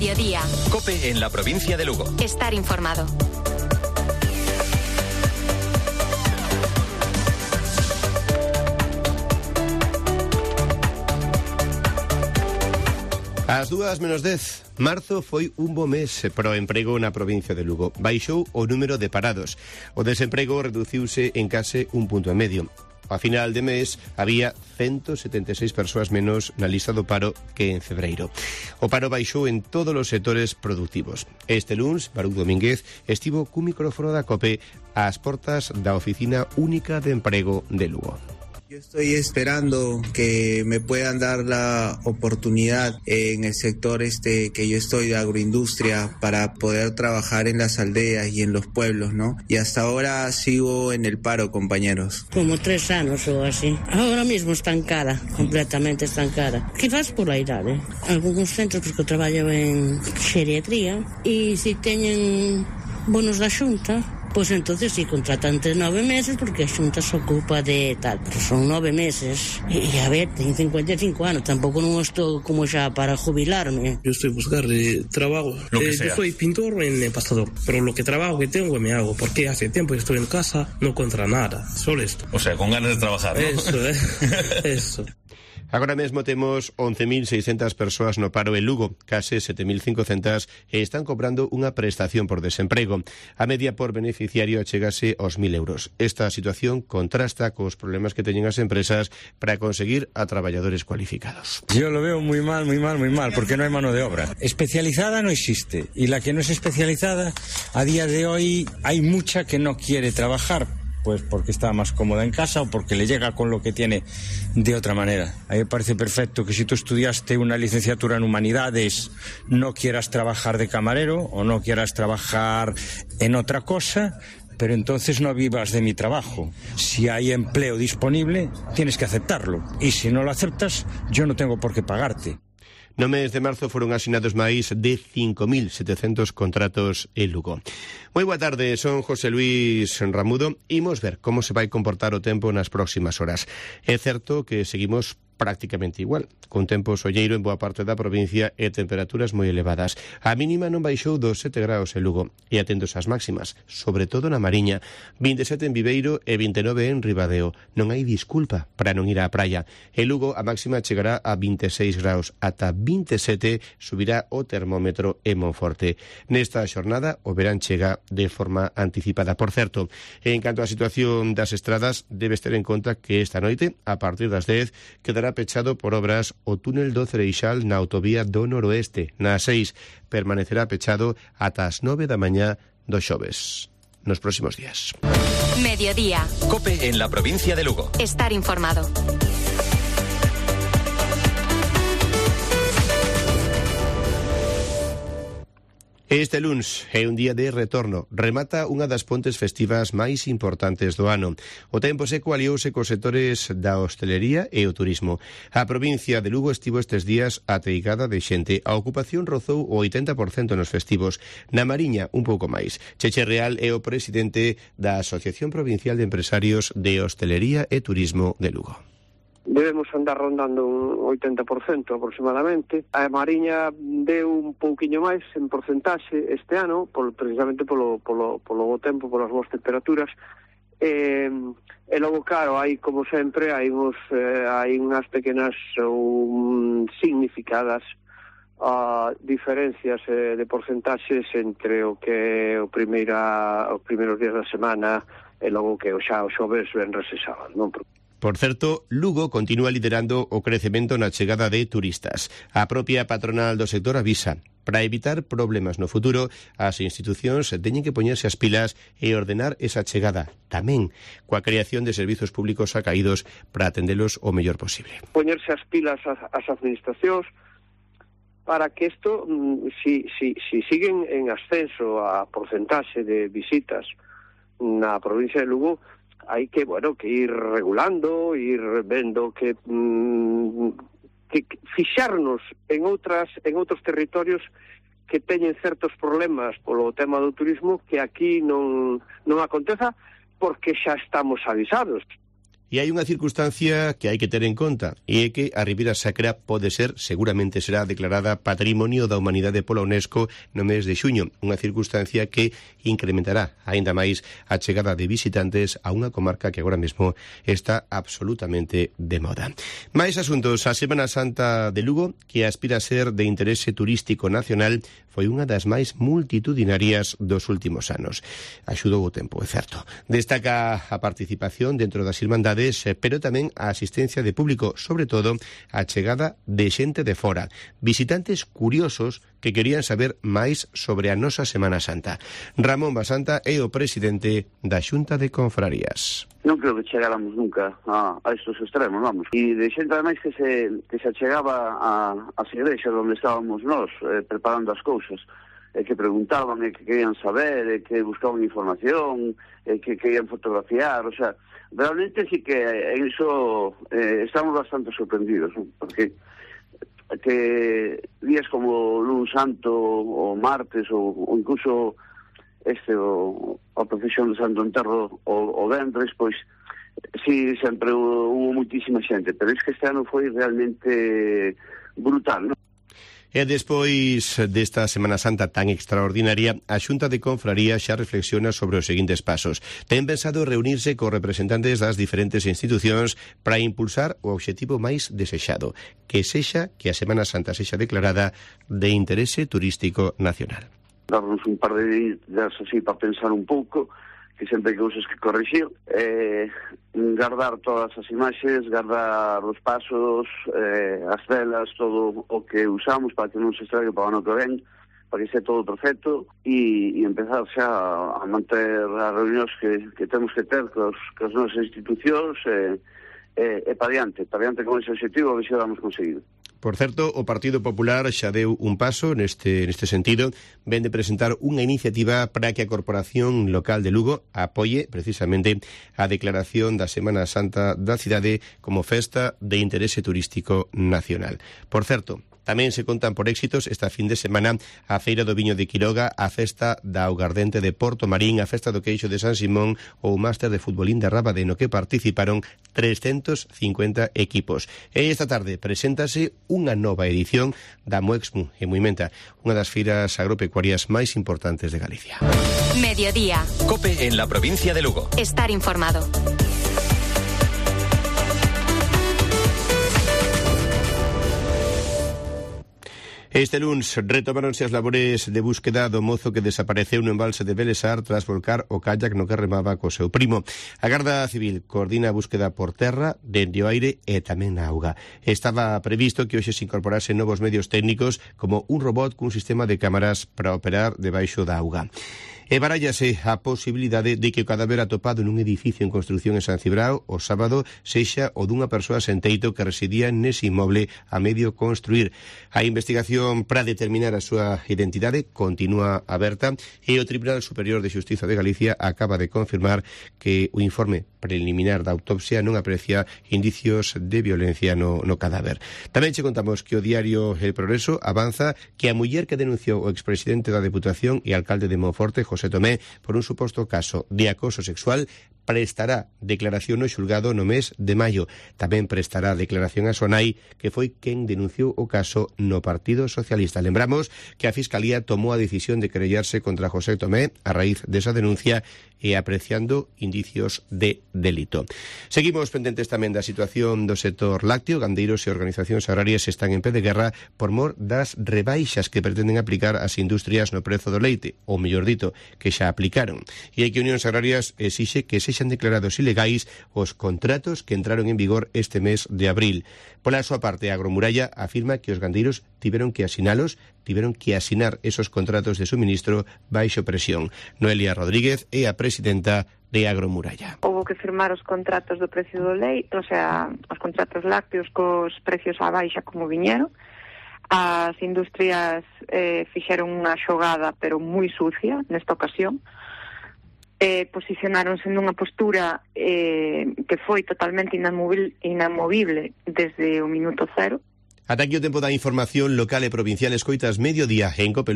Mediodía. COPE en la provincia de Lugo. Estar informado. Ás 2:10. Marzo foi un bo mes para o emprego na provincia de Lugo. Baixou o número de parados. O desemprego reduciuse en case 1,5 puntos. A final de mes había 176 persoas menos na lista do paro que en febreiro. O paro baixou en todos os sectores productivos. Este luns, Baruch Domínguez estivo cun micrófono da COPE ás portas da Oficina Única de Emprego de Lugo. Yo estoy esperando que me puedan dar la oportunidad en el sector que yo estoy de agroindustria para poder trabajar en las aldeas y en los pueblos, ¿no? Y hasta ahora sigo en el paro, compañeros. Como 3 anos ou así. Ahora mismo estancada, completamente estancada. Quizás por la idade. Algunos centros, porque eu traballo en xeriatría, e se teñen bonos da Xunta, pois entonces sí contratan entre 9 meses porque a Xunta se ocupa de tal, pero son 9 meses e a ver, tengo 55 anos, tampouco non estou como xa para jubilarme. Yo estoy buscar trabajo, yo soy pintor en el pasado, pero lo que trabajo que tengo me hago, porque hace tiempo que estoy en casa, no encuentro nada, solo esto. O sea, con ganas de trabajar, ¿no? Eso. Agora mesmo temos 11.600 persoas no paro en Lugo, case 7.500 están cobrando unha prestación por desemprego. A media por beneficiario achegase aos 1.000 euros. Esta situación contrasta cos problemas que teñen as empresas para conseguir a traballadores cualificados. Yo lo veo muy mal, porque no hay mano de obra. Especializada no existe, y la que no es especializada, a día de hoy hay mucha que no quiere trabajar, pues porque está más cómoda en casa o porque le llega con lo que tiene de otra manera. A mí me parece perfecto que si tú estudiaste una licenciatura en humanidades no quieras trabajar de camarero o no quieras trabajar en otra cosa, pero entonces no vivas de mi trabajo. Si hay empleo disponible, tienes que aceptarlo. Y si no lo aceptas, yo no tengo por qué pagarte. No mes de marzo foron asinados máis de 5.700 contratos en Lugo. Moi boa tarde, son José Luis Ramudo. Imos ver como se vai comportar o tempo nas próximas horas. É certo que seguimos prácticamente igual, con tempo solleiro en boa parte da provincia e temperaturas moi elevadas. A mínima non baixou dos 7 graus en Lugo e atentos ás máximas, sobre todo na Mariña, 27 en Viveiro e 29 en Ribadeo. Non hai disculpa para non ir á praia. En Lugo a máxima chegará a 26 graus, ata 27 subirá o termómetro en Monforte. Nesta xornada o verán chega de forma anticipada. Por certo, en canto á situación das estradas, debes ter en conta que esta noite, a partir das 10, quedará pechado por obras o túnel do Cereixal na autovía do Noroeste. Na 6 permanecerá pechado ata as 9 da mañá do xoves. Nos próximos días. Mediodía. COPE en la provincia de Lugo. Estar informado. Este luns é un día de retorno. Remata unha das pontes festivas máis importantes do ano. O tempo seco aliouse cos sectores da hostelería e o turismo. A provincia de Lugo estivo estes días ateigada de xente. A ocupación rozou o 80% nos festivos. Na Mariña, un pouco máis. Cheche Real é o presidente da Asociación Provincial de Empresarios de Hostelería e Turismo de Lugo. Debemos andar rondando un 80% aproximadamente. A Mariña deu un pouquiño máis en porcentaxe este ano, precisamente polo bo tempo, polas boas temperaturas. E logo, claro, hai, como sempre, hai unhas pequenas ou significadas diferencias de porcentaxes entre o que os primeiros días da semana e logo que xa o xoves, venres e sábado, non? Por certo, Lugo continúa liderando o crecemento na chegada de turistas. A propia patronal do sector avisa. Para evitar problemas no futuro, as institucións teñen que poñerse as pilas e ordenar esa chegada, tamén coa creación de servizos públicos acaídos para atendelos o mellor posible. Poñerse as pilas as administracións para que isto, si siguen en ascenso a porcentaxe de visitas na provincia de Lugo, hai que ir regulando, ir vendo que fixarnos en outros territorios que teñen certos problemas polo tema do turismo que aquí non aconteza porque xa estamos avisados. E hai unha circunstancia que hai que ter en conta, e é que a Ribeira Sacra seguramente será declarada Patrimonio da Humanidade pola UNESCO no mes de xuño, unha circunstancia que incrementará aínda máis a chegada de visitantes a unha comarca que agora mesmo está absolutamente de moda. Máis asuntos, a Semana Santa de Lugo, que aspira a ser de interese turístico nacional, foi unha das máis multitudinarias dos últimos anos. Axudou o tempo, é certo. Destaca a participación dentro das irmandades, pero tamén a asistencia de público, sobre todo a chegada de xente de fora, visitantes curiosos que querían saber máis sobre a nosa Semana Santa. Ramón Basanta é o presidente da Xunta de Confrarías. Non creo que chegáramos nunca a estos extremos, vamos. E de xente ademais que se achegaba ás igrexas onde estábamos nós preparando as cousas, que preguntaban, que querían saber, que buscaban información, que querían fotografiar, o sea, realmente sí que en iso estamos bastante sorprendidos, ¿no? Porque que días como luns santo o martes ou incluso a procesión de Santo Enterro o vendres, pois sí, sempre hubo muitísima xente, pero é que este ano foi realmente brutal, non? E despois desta Semana Santa tan extraordinaria, a Xunta de Confrarías xa reflexiona sobre os seguintes pasos. Ten pensado reunirse con representantes das diferentes institucións para impulsar o obxectivo máis desexado, que sexa que a Semana Santa sexa declarada de interese turístico nacional. Darnos un par de días así para pensar un pouco, que sempre hai cousas que corrixir, guardar todas as imaxes, guardar os pasos, as velas, todo o que usamos para que non se estrague para o ano que ven, para que sea todo perfecto, e empezar xa a manter as reunións que temos que ter cos nosas institucións e para diante con ese objetivo, a ver se vamos conseguido. Por certo, o Partido Popular xa deu un paso neste sentido, ven de presentar unha iniciativa para que a Corporación Local de Lugo apoie precisamente a declaración da Semana Santa da cidade como festa de interese turístico nacional. Por certo, tamén se contan por éxitos esta fin de semana a Feira do Viño de Quiroga, a Festa da Augardente de Porto Marín, a Festa do Queixo de San Simón ou o Máster de Futbolín de Rábade, no que participaron 350 equipos. E esta tarde preséntase unha nova edición da Moexmu en Muimenta, unha das feiras agropecuarias máis importantes de Galicia. Mediodía. COPE en la provincia de Lugo. Estar informado. Este luns retomáronse as labores de búsqueda do mozo que desapareceu no embalse de Belesar tras volcar o kayak no que remaba co seu primo. A Garda Civil coordina a búsqueda por terra, dende o aire e tamén na auga. Estaba previsto que hoxe se incorporasen novos medios técnicos como un robot cun sistema de cámaras para operar debaixo da auga. E barállase a posibilidade de que o cadáver atopado nun edificio en construción en San Cibrao o sábado sexa o dunha persoa sen teito que residía nese inmoble a medio construir. A investigación para determinar a súa identidade continúa aberta e o Tribunal Superior de Xustiza de Galicia acaba de confirmar que o informe preliminar da autopsia non aprecia indicios de violencia no cadáver. Tamén che contamos que o diario El Progreso avanza que a muller que denunciou o expresidente da Deputación e alcalde de Monforte, José Tomé, por un suposto caso de acoso sexual, prestará declaración no xulgado no mes de maio. Tamén prestará declaración a súa nai, que foi quen denunciou o caso no Partido Socialista. Lembramos que a Fiscalía tomou a decisión de querellarse contra José Tomé a raíz desa denuncia e apreciando indicios de delito. Seguimos pendentes tamén da situación do sector lácteo. Gandeiros e organizacións agrarias están en pé de guerra por mor das rebaixas que pretenden aplicar as industrias no prezo do leite, ou mellor dito, que xa aplicaron. E hai que Unións Agrarias exixe que sexan declarados ilegais os contratos que entraron en vigor este mes de abril. Pola súa parte, a Agromuralla afirma que os gandeiros tiveron que asinar esos contratos de suministro baixo presión. Noelia Rodríguez é a presidenta de Agromuralla. Houve que firmar os contratos do precio do leite, o sea, os contratos lácteos cos precios á baixa como viñeron. As industrias fixeron unha xogada, pero moi sucia, nesta ocasión. Posicionáronse nunha postura que foi totalmente inamovible desde o minuto cero. Ata aquí o tempo da información local e provincial. Escoitas Mediodía en COPE.